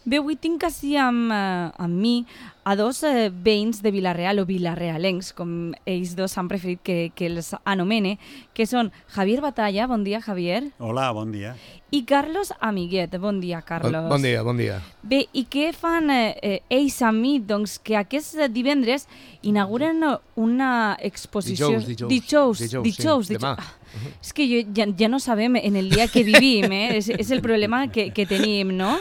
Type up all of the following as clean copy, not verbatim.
Bé, avui tinc així amb mi a dos veïns de Vila-real o vilarealencs, com ells dos han preferit que els anomene, que són Javier Batalla, bon dia, Javier. Hola, bon dia. I Carlos Amiguet, bon dia, Carlos. Bon dia, bon dia. Bé, i què fan ells amb mi? Doncs que aquest divendres inauguren una exposició... Dijous, demà. És que ja no sabem en el dia que vivim, és el problema que tenim, no?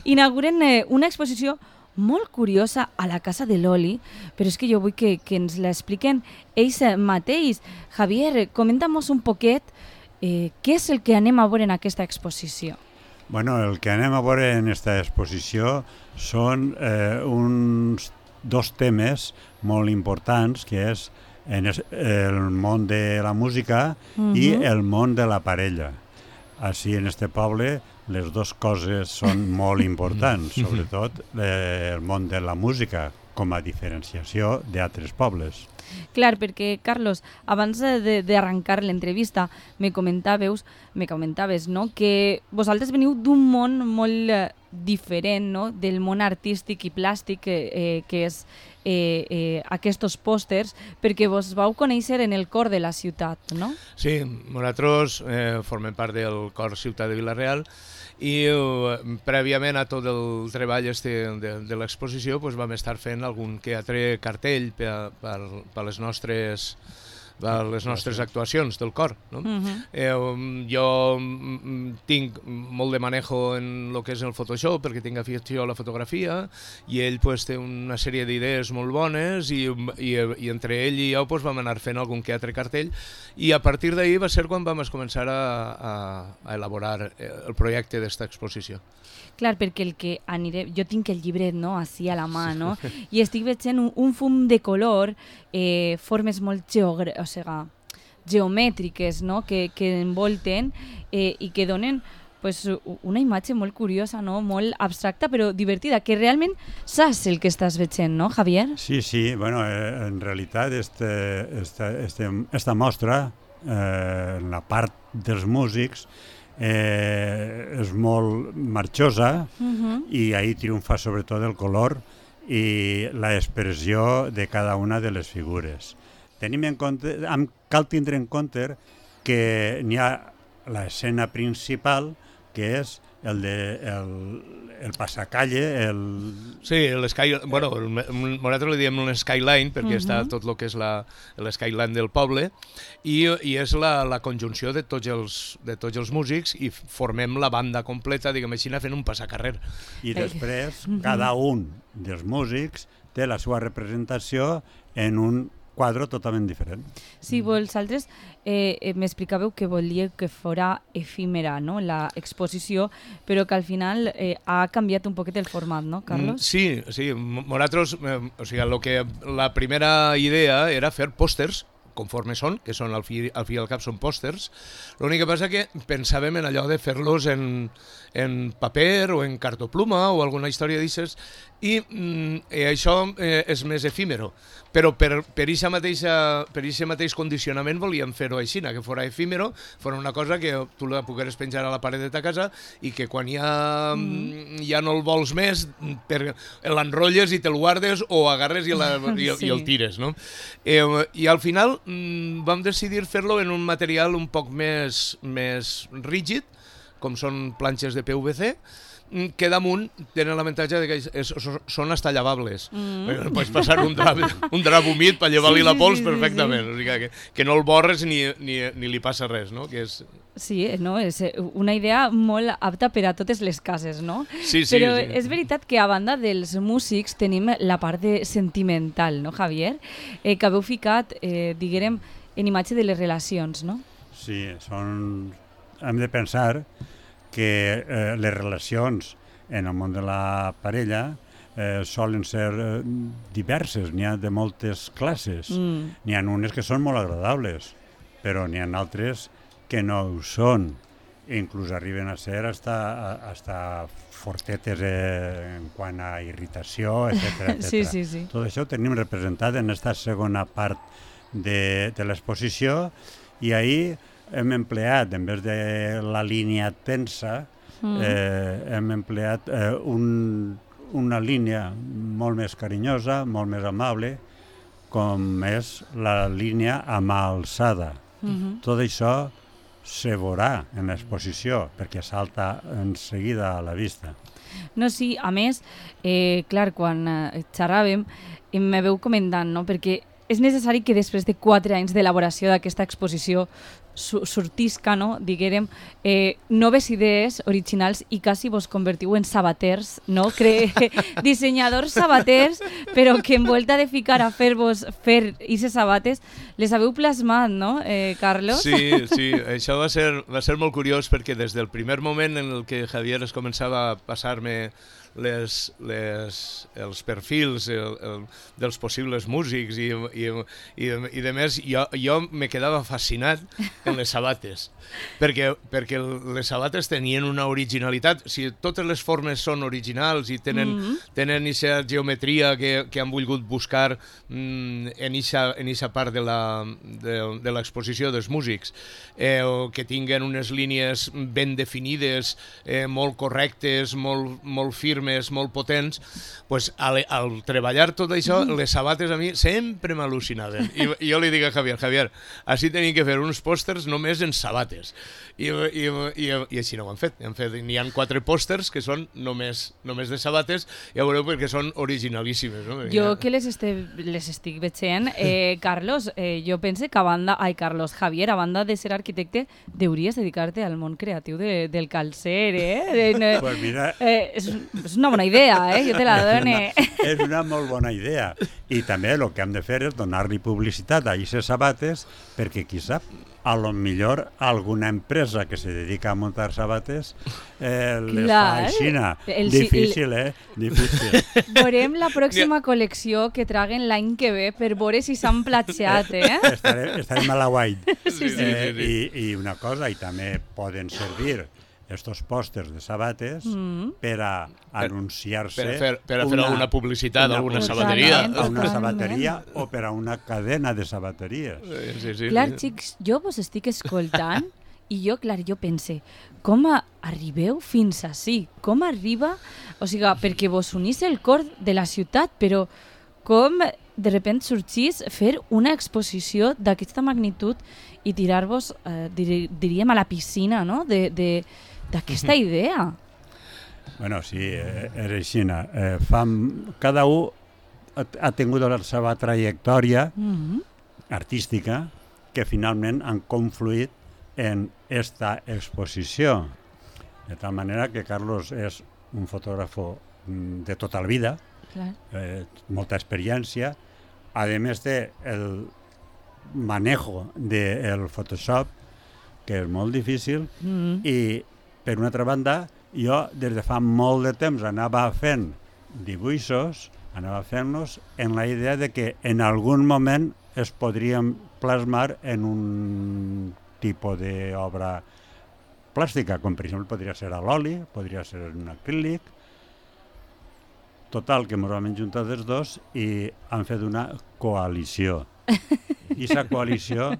Inauguren una exposició molt curiosa a la Casa de l'Oli, però és que jo vull que ens l'expliquen ells mateix. Javier, comenta'm-nos un poquet què és el que anem a veure en aquesta exposició. Bueno, el que anem a veure en aquesta exposició són uns dos temes molt importants, que és el món de la música i el món de la parella. Així, en este poble, les dues coses són molt importants, sobretot el món de la música, com a diferenciació d'altres pobles. Clar, perquè, Carlos, abans d'arrencar l'entrevista me comentaves, no?, que vosaltres veniu d'un món molt diferent, no?, del món artístic i plàstic que és aquests pòsters, perquè vos vau conèixer en el cor de la ciutat, no? Sí, nosaltres formem part del cor ciutat de Vila-real i prèviament a tot el treball de l'exposició vam estar fent algun que altre cartell per les nostres actuacions del cor. No? Jo tinc molt de manejo en el que és el Photoshop, perquè tinc afició a la fotografia, i ell té una sèrie d'idees molt bones, i entre ell i jo vam anar fent algun que altre cartell, i a partir d'ahir va ser quan vam començar a elaborar el projecte d'esta exposició. Clar, perquè el que aniré... Jo tinc el llibret, no?, així a la mà, no? I estic veient un fum de color, formes molt geomètriques, no?, que envolten i que donen pues, una imatge molt curiosa, no?, molt abstracta, però divertida, que realment saps el que estàs veient, no, Javier? Sí, bueno, en realitat esta mostra, en la part dels músics, és molt marxosa i ahí triomfa sobretot el color i l'expressió de cada una de les figures. Cal tindre en compte que n'hi ha l'escena principal, que és el passacalle, Sí, nosaltres li diem un skyline, perquè està tot el que és l'skyline del poble, i és la conjunció de tots els músics, i formem la banda completa, diguem així, fent un passacarrer. I després, cada un dels músics té la seva representació en un quadre totalment diferent. Sí, vosaltres m'explicàveu que volíeu que fora efímera, no?, l'exposició, però que al final ha canviat un poquet el format, no, Carlos? Sí, nosaltres, la primera idea era fer pòsters, conforme són, que són al fi i al cap són pòsters. L'únic que passa que pensàvem en allò de fer-los en paper o en cartopluma o alguna història d'aixes, i això és més efímero. Però per aquest mateix condicionament volíem fer-ho així, que fos efímero, fos una cosa que tu la pogueres penjar a la paret de ta casa i que quan ja no el vols més, l'enrotlles i te'l guardes o agarres i el tires, no? I al final vam decidir fer-lo en un material un poc més rígid, com són planxes de PVC, que damunt tenen l'avantatge que són hasta llevables. Pots passar un drap humit per llevar-li la pols perfectament. O sigui, que no el borres ni li passa res, no? Sí, no? És una idea molt apta per a totes les cases, no? Sí. Però és veritat que a banda dels músics tenim la part sentimental, no, Javier? Que haveu ficat, diguem, en imatge de les relacions, no? Sí, hem de pensar que les relacions en el món de la parella solen ser diverses, n'hi ha de moltes classes. N'hi ha unes que són molt agradables, però n'hi ha altres que no ho són. Inclús arriben a ser hasta fortetes en quant a irritació, etc. Sí. Tot això ho tenim representat en aquesta segona part de l'exposició, i ahir hem empleat, en vez de la línia tensa, hem empleat una línia molt més carinyosa, molt més amable, com és la línia a mà alçada. Tot això se veurà en l'exposició, perquè salta en seguida a la vista. No, sí, a més, clar, quan xerràvem, me veu comentant, no? Perquè és necessari que després de 4 anys d'elaboració d'aquesta exposició sortisca, no? Diguérem, noves idees originals i quasi vos convertiu en sabaters, no? Dissenyadors sabaters, però que en volta de ficar a fer aquestes sabates, les haveu plasmat, no, Carlos? Sí, això va ser molt curiós perquè des del primer moment en el que Javier es començava a passar-me els perfils dels possibles músics i de més, jo me quedava fascinat en les sabates, perquè les sabates tenien una originalitat. Si totes les formes són originals i tenen aquesta geometria que han volgut buscar en aquesta part de l'exposició dels músics, que tinguen unes línies ben definides, molt correctes, molt firmes, molt potents, pues, al treballar tot això, les sabates a mi sempre m'al·lucinaven. I jo li dic a Javier, així tenim que fer uns pòsters només en sabates. I així no ho han fet. N'hi ha 4 pòsters que són només de sabates, ja veureu perquè són originalíssimes. No? Jo que les estic veient, Carlos, jo pense que Javier, a banda de ser arquitecte, deuries dedicar-te al món creatiu del calcer, Pues mira, és una bona idea, jo te la dono. És una molt bona idea. I també el que hem de fer és donar-li publicitat a aquestes sabates, perquè qui sap, a lo millor alguna empresa que se dedica a muntar sabates les fa aixina. Difícil, Difícil. Veurem la pròxima col·lecció que traguen l'any que ve per veure si s'han platjat, Estarem a la guait. Sí. I una cosa, i també poden servir estos pòsters de sabates per a anunciar-se per a fer alguna publicitat a alguna sabateria. A una sabateria o per a una cadena de sabateries. Sí. Clar, xics, jo vos estic escoltant i jo pense, com arribeu fins ací? Com arriba? O sigui, perquè vos unís el cor de la ciutat, però com de repente sorgís fer una exposició d'aquesta magnitud i tirar-vos, diríem, a la piscina, no?, d'aquesta idea. Bueno, sí, és així. Cada un ha tingut la seva trajectòria artística que finalment han confluït en esta exposició. De tal manera que Carlos és un fotògraf de tota la vida, molta experiència, a més del manejo del Photoshop, que és molt difícil, i per una altra banda, jo des de fa molt de temps anava fent dibuixos, anava fent-los en la idea de que en algun moment es podrien plasmar en un tipus d'obra plàstica, com per exemple podria ser a l'oli, podria ser en un acrílic. Total, que ens vam juntar els dos i han fet una coalició. I aquesta coalició...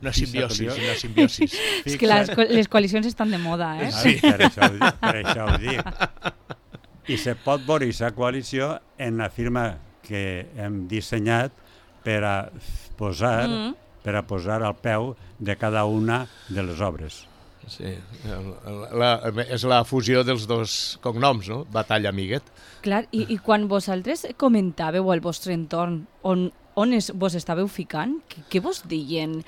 Una simbiosis. És que les coalicions estan de moda, Sí, per això ho dic. I se pot veure aquesta coalició en la firma que hem dissenyat per a posar al peu de cada una de les obres. Sí, és la fusió dels dos cognoms, no? Batalla Amiguet. Clar, i quan vosaltres comentàveu al vostre entorn on vos estàveu ficant, què vos deien?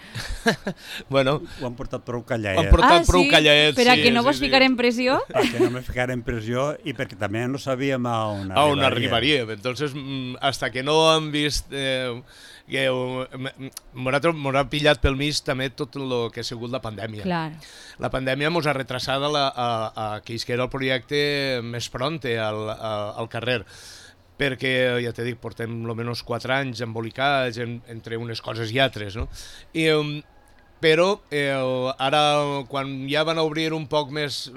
Bueno, ho han portat prou callaet. Ho han portat prou callaet, sí. Per a que no vos ficar en pressió? Perquè no me ficar en pressió i perquè també no sabíem a on arribaria. Entonces, hasta que no han vist... M'ho ha pillat pel mig també tot el que ha sigut la pandèmia. Clar. La pandèmia ens ha retrasat a que era el projecte més pronte al carrer, perquè, ja t'he dit, portem almenys 4 anys embolicats entre unes coses i altres, no? Però ara, quan ja van obrir un poc més,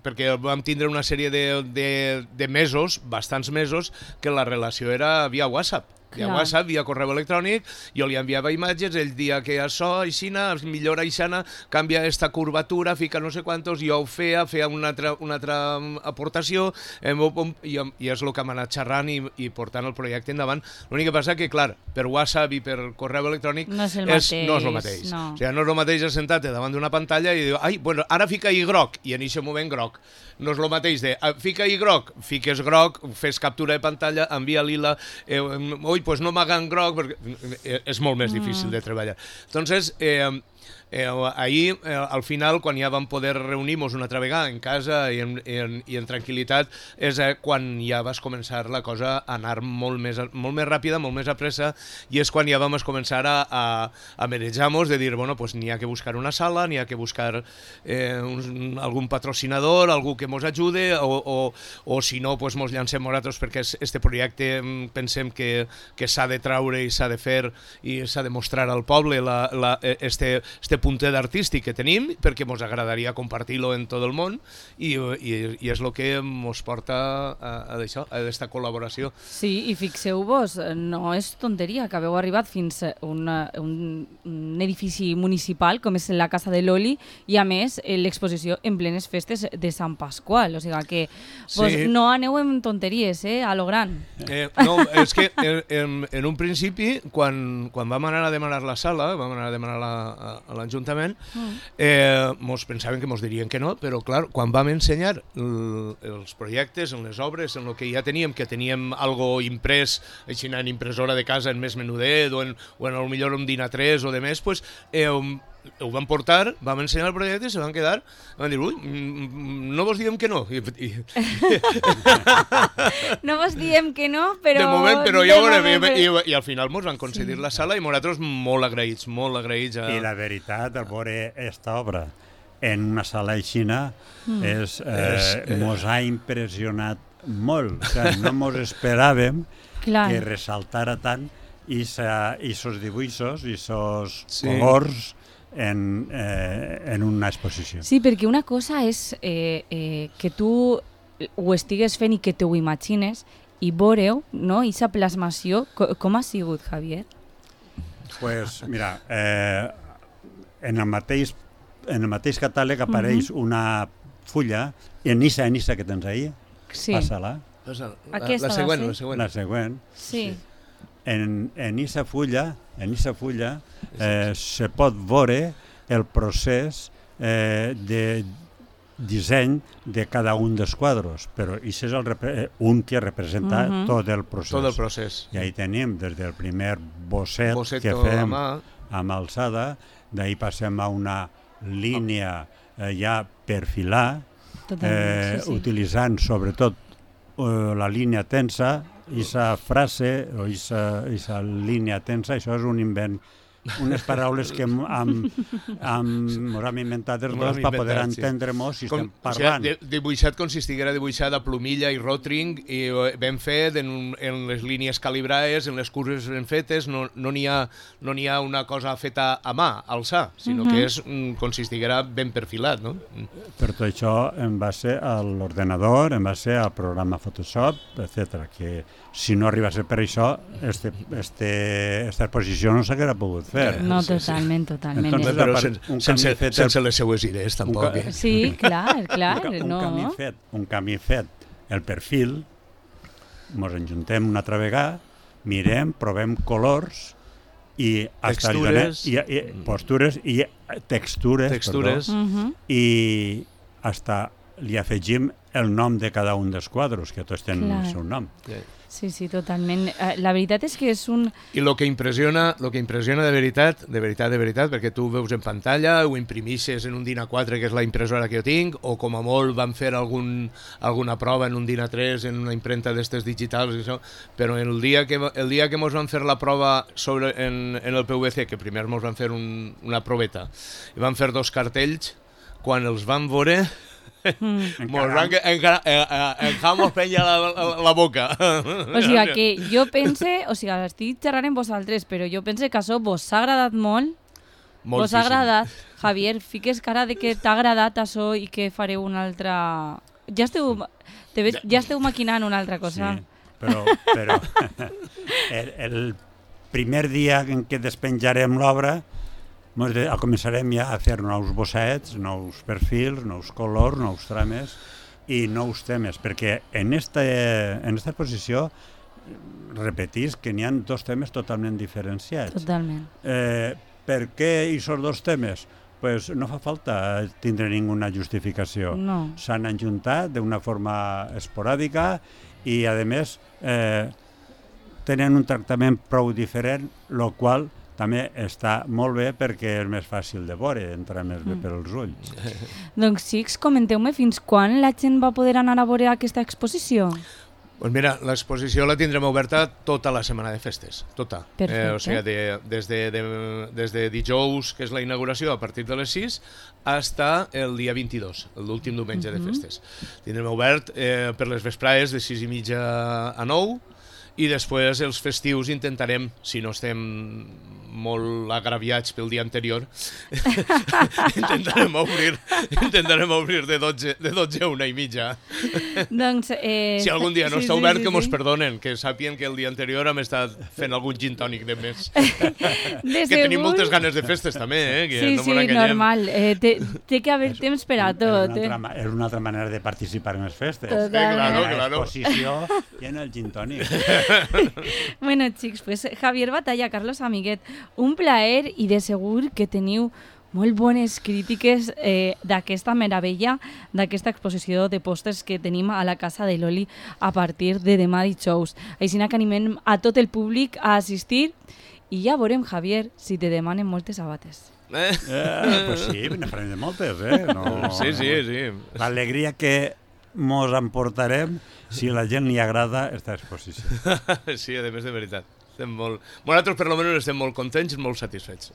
perquè vam tindre una sèrie de mesos, bastants mesos, que la relació era via WhatsApp. via WhatsApp, via correu electrònic, jo li enviava imatges, ell dia que això, aixina, millora aixina, canvia esta curvatura, fica no sé quantos, jo ho feia una altra aportació, i és el que hem anat xerrant i portant el projecte endavant. L'únic que passa que, clar, per WhatsApp i per correu electrònic no és el mateix. No. O sigui, no és el mateix sentar-te davant d'una pantalla i dir, bueno, ara fica i groc, i en aquest moment groc. No és el mateix de fica i groc, fiques groc, fes captura de pantalla, envia lila, pues no m'hagan groc, perquè és molt més difícil de treballar. Entonces, ahir, al final, quan ja vam poder reunir-nos una altra vegada en casa i en tranquil·litat, és quan ja vas començar la cosa a anar molt més ràpida, molt més a pressa, i és quan ja vam començar a manejar-nos, de dir, bueno, pues n'hi ha que buscar una sala, n'hi ha que buscar algun patrocinador, algú que mos ajude, o si no, pues mos llancem nosaltres, perquè este projecte pensem que s'ha de traure i s'ha de fer i s'ha de mostrar al poble este puntet artístic que tenim, perquè ens agradaria compartir-lo en tot el món, i és el que ens porta a aquesta col·laboració. Sí, i fixeu-vos, no és tonteria que haveu arribat fins a un edifici municipal com és la Casa de l'Oli, i a més l'exposició en plenes festes de Sant Pasqual, o sigui que no aneu en tonteries, a lo gran. No, és que en un principi, quan vam anar a demanar la sala, vam anar a demanar a l'Ajuntament, mos pensaven que mos dirien que no, però clar, quan vam ensenyar els projectes, en les obres, en el que ja teníem algo imprès, així en impressora de casa en més menudet, o en millor un DIN A3 o de més, pues, ho vam portar, vam ensenyar el projecte i se van quedar, van dir, ui, no vos diem que no. No vos diem que no, però... De moment, però ja ho veurem, i al final mos van concedir la sala i nosaltres molt agraïts. I la veritat, al veure aquesta obra en una sala aixina, mos ha impressionat molt. O sigui, no mos esperàvem que ressaltara tant i sos dibuixos i sos colors en una exposició. Sí, perquè una cosa és que tu ho estigues fent i que te ho imagines i veureu, no? I aquesta plasmació, com ha sigut, Javier? Pues mira, en el mateix catàleg apareix una fulla, en issa que tens ahí, passa-la. La següent. Sí. En issa fulla se pot veure el procés de disseny de cada un dels quadros, però això és un que representa tot el procés. I ahí tenim des del primer bosset que fem amb alçada, d'ahí passem a una línia ja per filar, utilitzant sobretot la línia tensa, aquesta frase o aquesta línia tensa, això és un invent, unes paraules que ens hem inventat els dos per poder entendre-nos si estem parlant. O sigui, dibuixat com si estiguera dibuixat a plumilla i rotring, i ben fet en les línies calibrades, en les curves ben fetes, no n'hi ha una cosa feta a mà, alçar, sinó que és com si estiguera ben perfilat, no? Per tot això en base a l'ordenador, en base al programa Photoshop, etc. Que si no arriba a ser per això, aquesta exposició no s'haguera pogut fer. No, totalment. Entonces, però sense les seues idees, tampoc. Sí, clar. Un camí fet, el perfil, ens enjuntem una altra vegada, mirem, provem colors i postures i textures, i hasta li afegim el nom de cada un dels quadros, que tots tenen el seu nom. Sí, totalment. La veritat és que és un... I el que impressiona de veritat, perquè tu ho veus en pantalla, ho imprimixes en un DIN A4, que és la impressora que jo tinc, o com a molt van fer alguna prova en un DIN A3, en una imprenta d'estes digitals, i això, però el dia que mos van fer la prova en el PVC, que primer mos van fer una proveta, i van fer 2 cartells, quan els van veure... Enjamos penya la boca. O sigui que jo pense, estic xerrant amb vosaltres, però jo pense que això vos ha agradat molt. Vos ha agradat. Javier, fiques cara de que t'ha agradat això i que fareu una altra... Ja esteu maquinant una altra cosa. però el primer dia en què despenjarem l'obra començarem ja a fer nous bossets, nous perfils, nous colors, nous trames i nous temes, perquè en esta exposició repetís que n'hi ha dos temes totalment diferenciats. Totalment. Per què aquests dos temes? Pues no fa falta tindre ninguna justificació. No. S'han enjuntat d'una forma esporàdica i, a més, tenen un tractament prou diferent, el qual també està molt bé perquè és més fàcil de veure, entra més bé per als ulls. Doncs, xics, comenteu-me fins quan la gent va poder anar a veure aquesta exposició? Pues mira, l'exposició la tindrem oberta tota la setmana de festes, tota. Perfecte. O sigui, des de dijous, que és la inauguració, a partir de les 6, fins el dia 22, l'últim diumenge de festes. Tindrem obert per les vesprades de 6:30 a 9, i després els festius intentarem, si no estem molt agraviats pel dia anterior, intentarem obrir de 12 a 1:30. Doncs, Si algun dia no està obert, que mos perdonen, que sàpien que el dia anterior hem estat fent algun gin tònic de més. Que tenim moltes ganes de festes també, que no mos enganyem. Normal. Té que haver temps per a tot. És una altra manera de participar en les festes. Claro. L'exposició i en el gin tònic. Bueno, xics, pues Javier Batalla, Carlos Amiguet, un plaer i de segur que teniu molt bones crítiques d'aquesta meravella, d'aquesta exposició de pòsters que tenim a la Casa de l'Oli a partir de demà dijous. Així que animem a tot el públic a assistir i ja veurem, Javier, si te demanen moltes sabates. Pues sí, ne farem de moltes, No, Sí. L'alegria que mos emportarem si a la gent li agrada aquesta exposició. Sí, a més de veritat. Nosaltres, per almenys, estem molt contents i molt satisfets.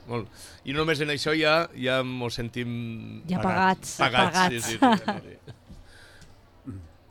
I només en això ja ens sentim Ja pagats. Sí.